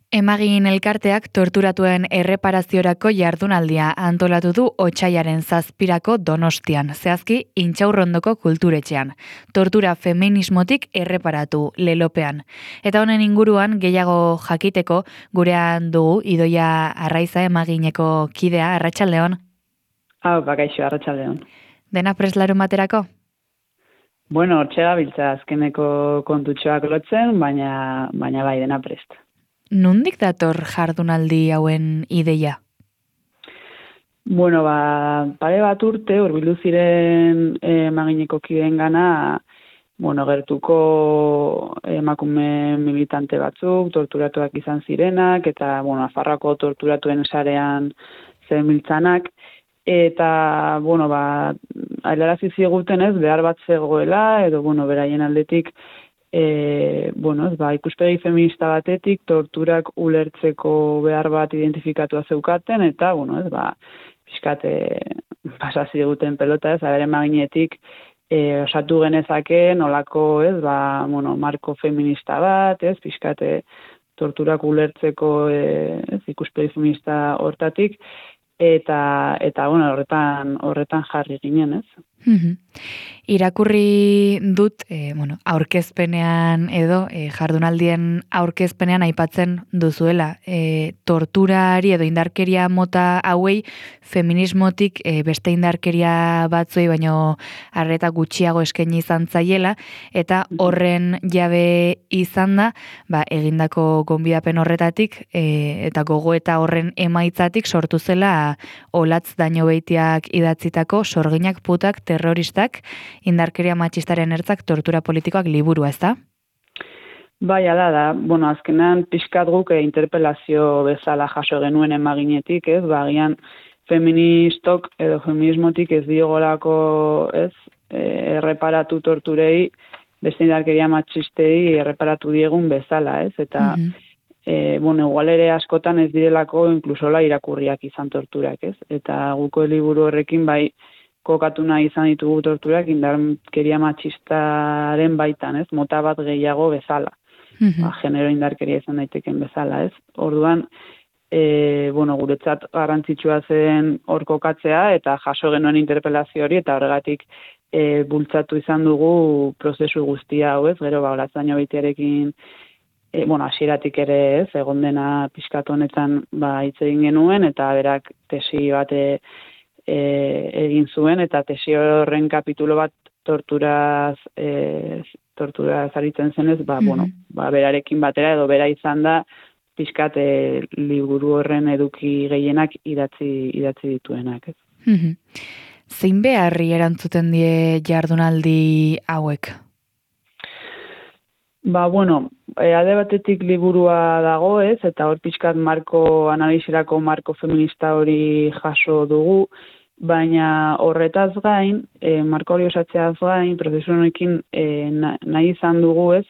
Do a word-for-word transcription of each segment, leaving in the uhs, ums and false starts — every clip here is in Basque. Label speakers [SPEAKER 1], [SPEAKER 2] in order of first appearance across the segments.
[SPEAKER 1] Emagin elkarteak torturatuen erreparaziorako jardunaldia antolatu du otsailaren zazpirako Donostian, zehazki Intxaurrondoko kulturetxean. Tortura feminismotik erreparatu lelopean. Eta honen inguruan gehiago jakiteko gurean dugu Idoia Arraiza Emagineko kidea, Arratsaldeon.
[SPEAKER 2] Hau, bakaixo, Arratsaldeon.
[SPEAKER 1] Dena preslarun baterako?
[SPEAKER 2] Bueno, hortxe gabiltza azkeneko kontutxoak lotzen, baina, baina bai dena prest.
[SPEAKER 1] Nondik dator jardunaldi hauen ideia?
[SPEAKER 2] Bueno, ba, pare bat urte, hurbildu ziren emagineko kideen gana, bueno, gertuko emakume militante batzuk, torturatuak izan zirenak, eta, bueno, Nafarroako torturatuen sarean zebiltzanak, eta, bueno, ba, ailarazi ziguten ez, behar bat zegoela, edo, bueno, beraien aldetik, E, bueno, ez, ba, ikuspegi feminista batetik torturak ulertzeko behar bat identifikatua zeukaten, eta, bueno, ez, ba, pixkate pasazi duten pelota, ez, abere maginetik e, osatu genezake nolako, ez, ba, bueno, marko feminista bat, ez, pixkate torturak ulertzeko e, ez, ikuspegi feminista hortatik, eta, eta bueno, horretan, horretan jarri ginen, ez.
[SPEAKER 1] Mm-hmm. Irakurri dut, e, bueno, aurkezpenean edo e, jardunaldien aurkezpenean aipatzen duzuela. E, torturari edo indarkeria mota hauei feminismotik e, beste indarkeria batzuei baino arreta gutxiago eskaini izan zaiela, eta horren jabe izan da, ba, egindako gonbidapen horretatik e, eta gogoeta horren emaitzatik sortu zela Olatz Dañobeitiak idatzitako Sorginak putak terroristak, indarkeria matxistaren ertzak tortura politikoak liburua, ez da?
[SPEAKER 2] Bai, ala da. Bueno, azkenan pixkat guk interpelazio bezala jaso genuen emaginetik, ez? Bagian feministok edo feminismotik ez diogolako, ez? E, erreparatu torturei, beste indarkeria matxistei erreparatu diegun bezala, ez? Eta, mm-hmm. e, bueno, igual ere askotan ez direlako inklusola irakurriak izan torturak, ez? Eta guko liburu horrekin bai kokatu nahi izan ditugu torturak indarkeria matxistaren baitan, ez? Mota bat gehiago bezala. Mm-hmm. Ba, genero indarkeria izan daiteken bezala, ez? Orduan, e, bueno, guretzat garrantzitsua zen hor kokatzea eta jaso genuen interpelazio hori eta horregatik e, bultzatu izan dugu prozesu guztia hau, ez? Gero, ba, Olatz Dañobeitiarekin e, bueno, hasieratik ere, ez? Egon dena pixkatu honetan ba hitz egin genuen eta berak tesi bate E, egin zuen, eta tesi horren kapitulo bat torturaz, e, torturaz aritzen zenez, ba, mm-hmm. bueno, ba, berarekin batera edo bera izan da, pixkat e, liburu horren eduki gehienak idatzi, idatzi dituenak. Ez?
[SPEAKER 1] Mm-hmm. Zein beharri erantzuten die jardunaldi hauek?
[SPEAKER 2] Ba, bueno, e, alde batetik liburua dago, ez, eta hor pixkat marko, analizirako marko feminista hori jaso dugu, baina horretaz gain, e, marko hori osatzeaz gain, prozesu honekin e, nahi izan dugu, ez,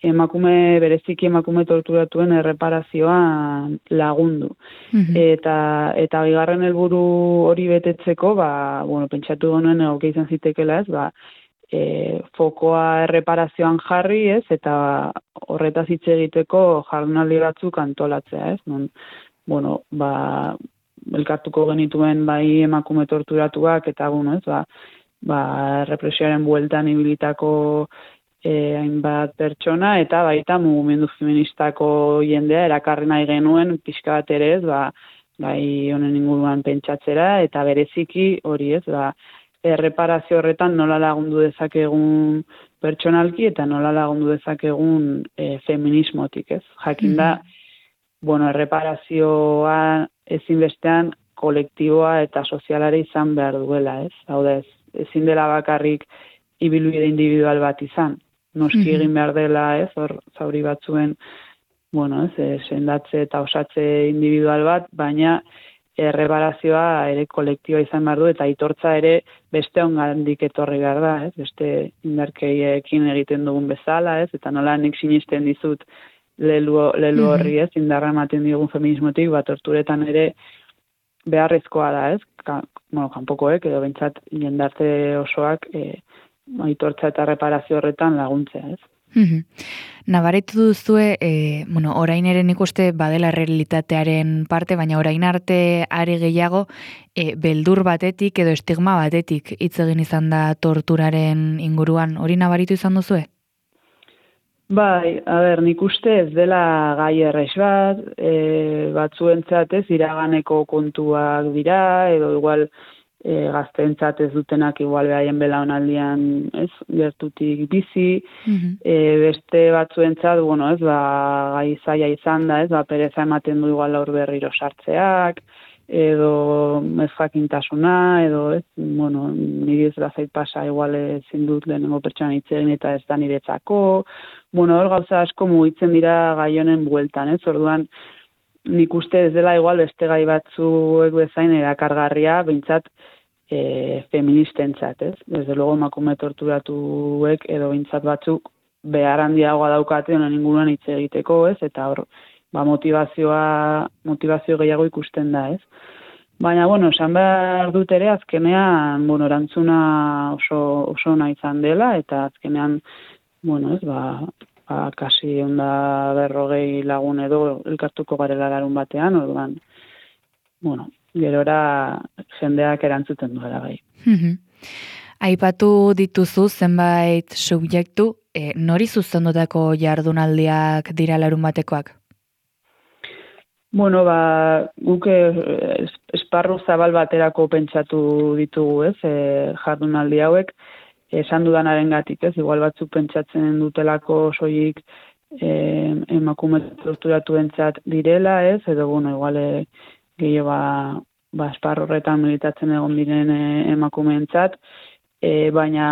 [SPEAKER 2] emakume, bereziki emakume torturatuen erreparazioan lagundu. Mm-hmm. Eta, eta bigarren helburu hori betetzeko, ba, bueno, pentsatu genuen egokia izan zitekela, ez, ba, E, fokoa erreparazioan jarri, ez, eta horretaz hitz egiteko jardunaldi batzuk antolatzea, ez, non, bueno, ba, elkartuko genituen bai emakume torturatuak, eta, bueno, ez, ba, ba represioaren bueltan ibilitako e, hainbat pertsona, eta baita mugimendu feministako jendea erakarri nahi genuen, pixka bat ere, ez, ba, bai honen inguruan pentsatzera, eta bereziki hori, ez, ba, erreparazio horretan nola lagundu dezakegun pertsonalki eta nola lagundu dezakegun e, feminismotik, ez? Jakin da, mm-hmm. bueno, erreparazioa ezinbestean kolektiboa eta sozialare izan behar duela, ez? Hau da, ez, ezin dela bakarrik ibilbide individual bat izan. Noski mm-hmm. egin behar dela, ez? Hor zauri batzuen, bueno, ez, sendatze eta osatze individual bat, baina erreparazioa ere kolektiboa izan behar du, eta aitortza ere beste ongandik etorri behar da, ez? Beste indarkeiekin egiten dugun bezala, ez? Eta nola nik sinisten dizut lelu, lelu horri, ez? Indarra ematen digun feminismotik, bat torturetan ere beharrezkoa da, ez? Ka, bueno, kanpokoek, edo bentsat jendarte osoak e, aitortza eta reparazio horretan laguntzea, ez?
[SPEAKER 1] Mhm. Nabaritu duzue, e, bueno, orain ere nik uste badela realitatearen parte, baina orain arte are gehiago e, beldur batetik edo estigma batetik hitz egin izan da torturaren inguruan. Hori nabaritu izan duzue?
[SPEAKER 2] Bai, a ber, nik uste ez dela gai errex bat, e, batzuentzat ez iraganeko kontuak dira, edo igual e, gazteentzat ez dutenak igual behaien belaunaldian ez gertutik bizi,
[SPEAKER 1] Mhm.
[SPEAKER 2] e, beste batzuentzat, bueno, ez, ba, gai zaila izan da, ez, ba, pereza ematen du igual aur berriro sartzeak, edo ez jakintasuna, edo ez, bueno, niri ez da zait pasa igual ezin dut lehenengo pertsonan hitz egin eta ez da niretzako, bueno, hor gauza asko mugitzen dira gai honen bueltan, ez, orduan nik uste ez dela igual beste gai batzuek bezain erakargarria, behintzat e, feministentzat, ez? Desde luego emakume torturatuek edo behintzat batzuk behar handiagoa daukate honen inguruan hitz egiteko, ez? Eta hor, ba, motivazioa, motivazio gehiago ikusten da, ez? Baina, bueno, esan behar dut ere, azkenean, bueno, erantzuna oso, oso ona izan dela, eta azkenean, bueno, ez, ba, ba kasi onda berrogei lagun edo elkartuko garela larun batean, orduan, bueno, gerora jendeak erantzuten duela bai.
[SPEAKER 1] Mhm. Aipatu dituzu zenbait subjektu, e, nori zuzendutako jardunaldiak dira larun batekoak?
[SPEAKER 2] Bueno, ba, guk eh, esparru zabal baterako pentsatu ditugu, ez, e, jardunaldi hauek, esan dudanaren gatik, ez, igual batzuk pentsatzen dutelako soilik e, emakume torturatu entzat direla, ez, edo, bueno, igual e, gehiago ba, ba esparru horretan militatzen egon diren e, emakumeentzat, e, baina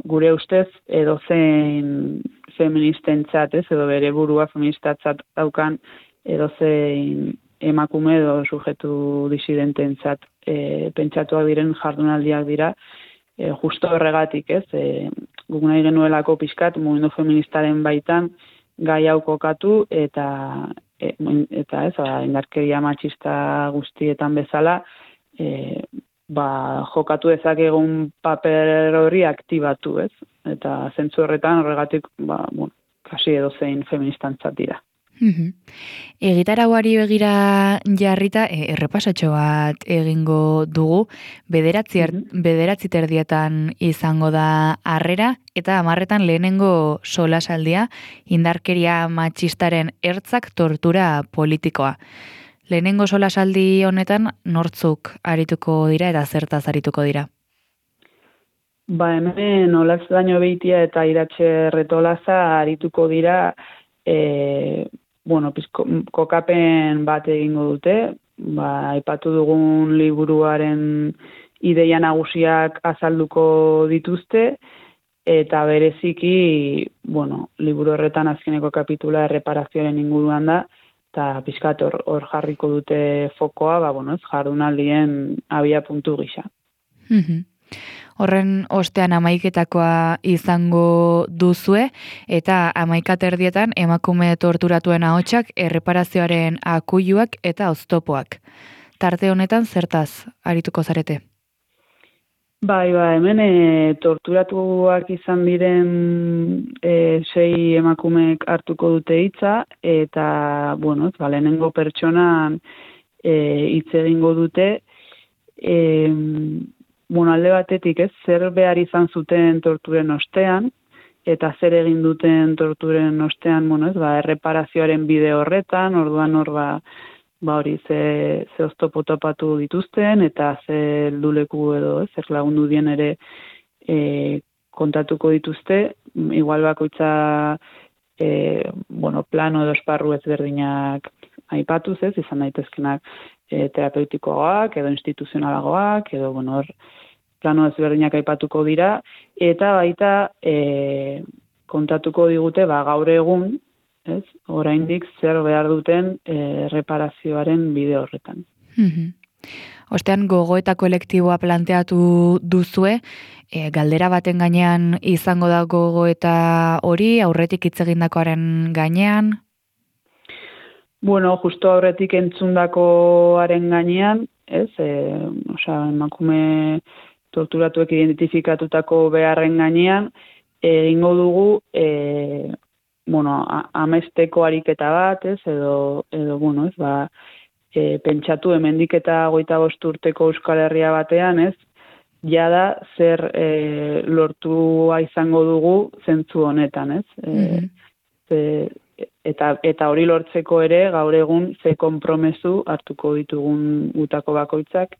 [SPEAKER 2] gure ustez edo zein feministentzat, ez, edo bere burua feministatzat daukan edo zein emakume edo sujetu disidententzat e, pentsatuak diren jardunaldiak dira, e, justo horregatik, ez, e, guk nahi genuelako pixkat mugimendu feministaren baitan gai hau kokatu eta e, eta ez, ba, indarkeria matxista guztietan bezala, e, ba, jokatu dezakegun paper hori aktibatu, ez? Eta zentzu horretan horregatik, ba, bueno, kasi edo zein feministantzat dira.
[SPEAKER 1] Mhm. Egitarauari begira jarrita, e, errepasatxo bat egingo dugu, bederatzi, er, bederatzi terdietan izango da harrera, eta hamarretan lehenengo solasaldia, indarkeria matxistaren ertzak tortura politikoa. Lehenengo solasaldi honetan nortzuk arituko dira eta zertaz arituko dira?
[SPEAKER 2] Ba, hemen Olaz Daño Beitia eta Iratxe Retolaza arituko dira, e, bueno, pizko, kokapen bat egingo dute, ba, aipatu dugun liburuaren ideia nagusiak azalduko dituzte, eta bereziki, bueno, liburu horretan azkeneko kapitula erreparazioaren inguruan da, eta pizkat hor, hor jarriko dute fokoa, ba, bueno, ez jardunaldien abia puntu gisa.
[SPEAKER 1] Mhm. Horren ostean amaiketakoa izango duzue, eta amaika terdietan emakume torturatuen ahotsak, erreparazioaren akuiluak eta oztopoak. Tarte honetan zertaz arituko zarete?
[SPEAKER 2] Bai, ba, hemen e, torturatuak izan diren e, sei emakumeek hartuko dute hitza, eta, bueno, ba, lehenengo pertsonan hitz e, egingo dute, e, bueno, alde batetik, ez, zer behar izan zuten torturen ostean, eta zer egin duten torturen ostean, bueno, ez, ba, erreparazioaren bide horretan, orduan hor, ba, ba hori, ze, ze oztopo topatu dituzten, eta ze helduleku edo, ez, zer lagundu dien ere e, kontatuko dituzte, igual bakoitza, e, bueno, plano edo esparru ezberdinak aipatuz, ez, izan daitezkenak e, terapeutikoagoak, edo instituzionalagoak, edo, bueno, hor, plano ezberdinak aipatuko dira, eta baita e, kontatuko digute, ba, gaur egun, ez, oraindik zer behar duten e, reparazioaren bide horretan.
[SPEAKER 1] Mhm. Ostean gogo eta kolektiboa planteatu duzue, e, galdera baten gainean izango da gogo eta hori, aurretik hitz egindakoaren gainean?
[SPEAKER 2] Bueno, justo aurretik entzundakoaren gainean, ez, e, osea, emakume torturatuek identifikatutako beharren gainean, egingo dugu e, bueno, a, amesteko ariketa bat, ez, edo, edo bueno, ez, ba, e, pentsatu hemendik eta hogeita bost urteko Euskal Herria batean, ez, jada zer e, lortua izango dugu zentzu honetan, ez? E,
[SPEAKER 1] Mhm.
[SPEAKER 2] ze, eta, eta hori lortzeko ere, gaur egun ze konpromezu hartuko ditugun gutako bakoitzak,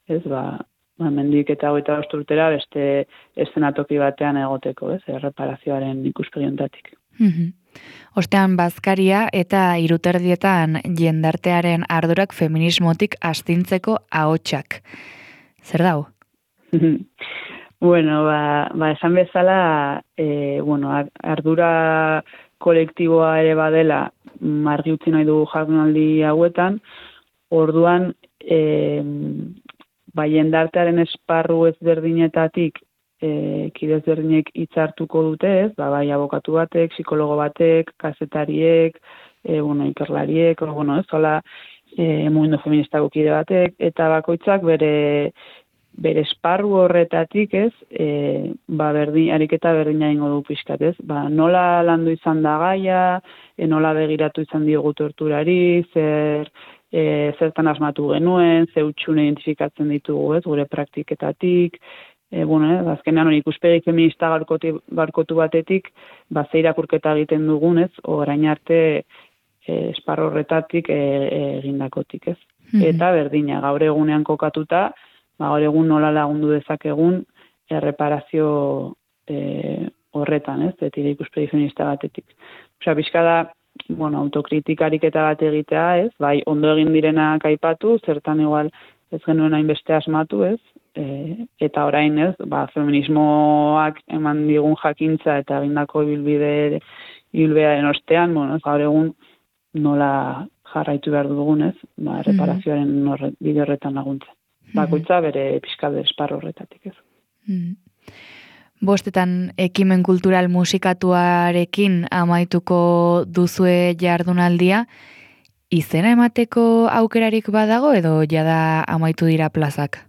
[SPEAKER 2] ez, ba, ba mendik eta hogeita bost urtera beste eszenatoki batean egoteko, ez, erreparazioaren ikuspegiontatik.
[SPEAKER 1] Mhm. Ostean bazkaria eta iruterdietan jendartearen ardurak feminismotik astintzeko ahotsak. Zer dau?
[SPEAKER 2] Bueno, ba, ba esan bezala, e, bueno, ardura kolektiboa ere badela argi utzi nahi dugu jardunaldi hauetan, orduan e, ba, jendartearen esparru ezberdinetatik e, kide ezberdinek hitz hartuko dute, ez? Ba, bai abokatu batek, psikologo batek, kazetariek, e, bueno, ikerlariek, o, bueno, ez, hola, e, mugimendu feministako kide batek, eta bakoitzak bere bere esparru horretatik, ez, e, ba, berdin, ariketa berdina ingo du pixkat, ez, ba, nola landu izan da gaia, e, nola begiratu izan diogu torturari, zer, e, zertan asmatu genuen, ze hutxune identifikatzen ditugu, ez, gure praktiketatik, e, bueno, ez, azkenean hori ikuspegi feminista garkoti, garkotu batetik, ba, ze irakurketa egiten dugun, ez, orain arte e, esparru horretatik e, e, egindakotik, ez. Mm-hmm. Eta berdina, gaur egunean kokatuta, ba, gaur egun nola lagundu dezakegun erreparazio e, horretan, ez, etire ikuspegi feminista batetik. Osea, pixka da, bueno, autokritikarik eta bat egitea, ez, bai, ondo egin direnak aipatu, zertan igual ez genuen hainbeste asmatu, ez, e, eta orain, ez, ba, feminismoak eman digun jakintza eta egindako ibilbide ibilbearen ostean, bueno, ez, gaur egun nola jarraitu behar dugun, ez, ba, erreparazioaren horre, bide horretan laguntzen. Bakoitza bere pixkade esparro horretatik, ez.
[SPEAKER 1] Mm. Bostetan ekimen kultural musikatuarekin amaituko duzue jardunaldia, izena emateko aukerarik badago edo jada amaitu dira plazak?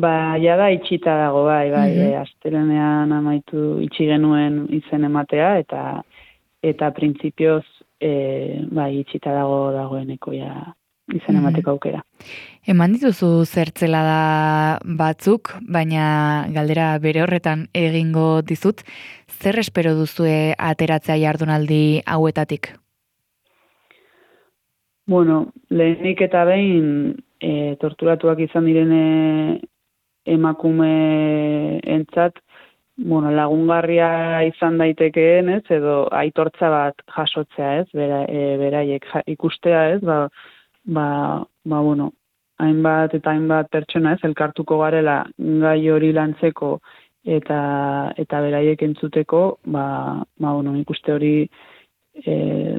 [SPEAKER 2] Ba, jada itxita dago, bai, bai, mm-hmm. e, astelenean amaitu itxi genuen izen ematea, eta eta printzipioz e, bai, itxita dago dagoeneko ja izen emateko aukera.
[SPEAKER 1] Eman dituzu zertzela da batzuk, baina galdera bere horretan egingo dizut, zer espero duzue ateratzea jardunaldi hauetatik?
[SPEAKER 2] Bueno, lehenik eta behin e, torturatuak izan direne emakume entzat, bueno, lagungarria izan daitekeen, ez, edo aitortza bat jasotzea, ez, bera, e, beraiek ja, ikustea, ez, ba, ba, ba, bueno, hainbat eta hainbat pertsona, ez, elkartuko garela gai hori lantzeko eta eta beraiek entzuteko, ba, ba, bueno, ikuste hori e,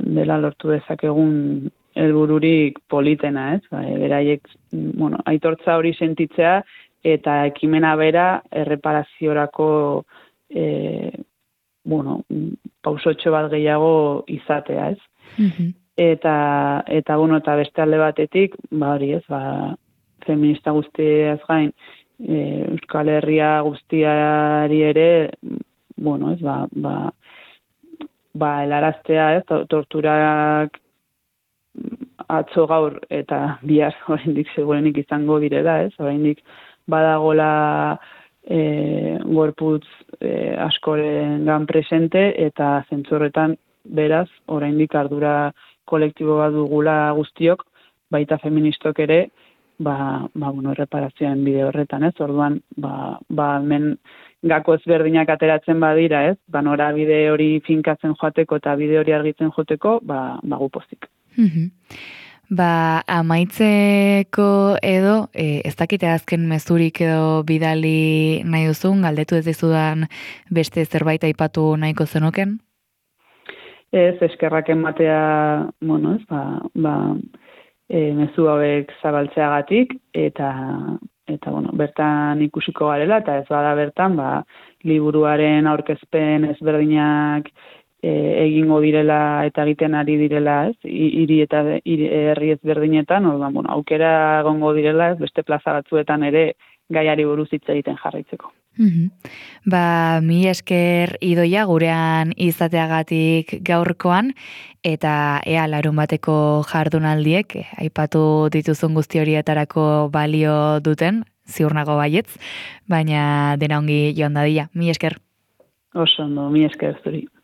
[SPEAKER 2] dela lortu dezakegun helbururik politena, ez, ba, beraiek, bueno, aitortza hori sentitzea, eta ekimena bera erreparaziorako e, bueno, pausotxo bat gehiago izatea, ez? Mm-hmm. Eta, eta, bueno, eta beste alde batetik, ba hori ez, ba, feminista guztiaz gain, e, Euskal Herria guztiari ere, bueno, ez, ba, ba, ba helaraztea, ez, torturak atzo gaur eta bihar oraindik segurenik izango direla, ez, oraindik badagola e, gorputz e, askoren gan presente eta zentzorretan beraz oraindik ardura kolektibo bat dugula guztiok, baita feministok ere, ba, ba bueno, erreparazioen bide horretan, ez? Orduan, ba, ba hemen gako ezberdinak ateratzen badira, ez? Ba nora bide hori finkatzen joateko eta bide hori argitzen joateko, ba, ba gupozik.
[SPEAKER 1] Mhm. Ba, amaitzeko edo, e, ez dakite azken mezurik edo bidali nahi duzun, galdetu ez dizudan beste zerbait aipatu nahiko zenuken?
[SPEAKER 2] Ez, eskerrak ematea, bueno, ez, ba, ba e, mezu hauek zabaltzeagatik, eta, eta, bueno, bertan ikusiko garela, eta ez bada bertan, ba, liburuaren aurkezpen ezberdinak E, egingo direla eta egiten ari direla, ez, hiri eta hiri herri ezberdinetan, orduan, bueno, aukera egongo direla, ez, beste plaza batzuetan ere gaiari buruz hitz egiten jarraitzeko.
[SPEAKER 1] Mhm. Ba, mi esker Idoia gurean izateagatik gaurkoan, eta ea larun bateko jardunaldiek, eh, aipatu dituzun guzti horietarako balio duten, ziur nago baietz, baina dena ongi joan dadila. Mi esker.
[SPEAKER 2] Oso ondo, mi esker zuri.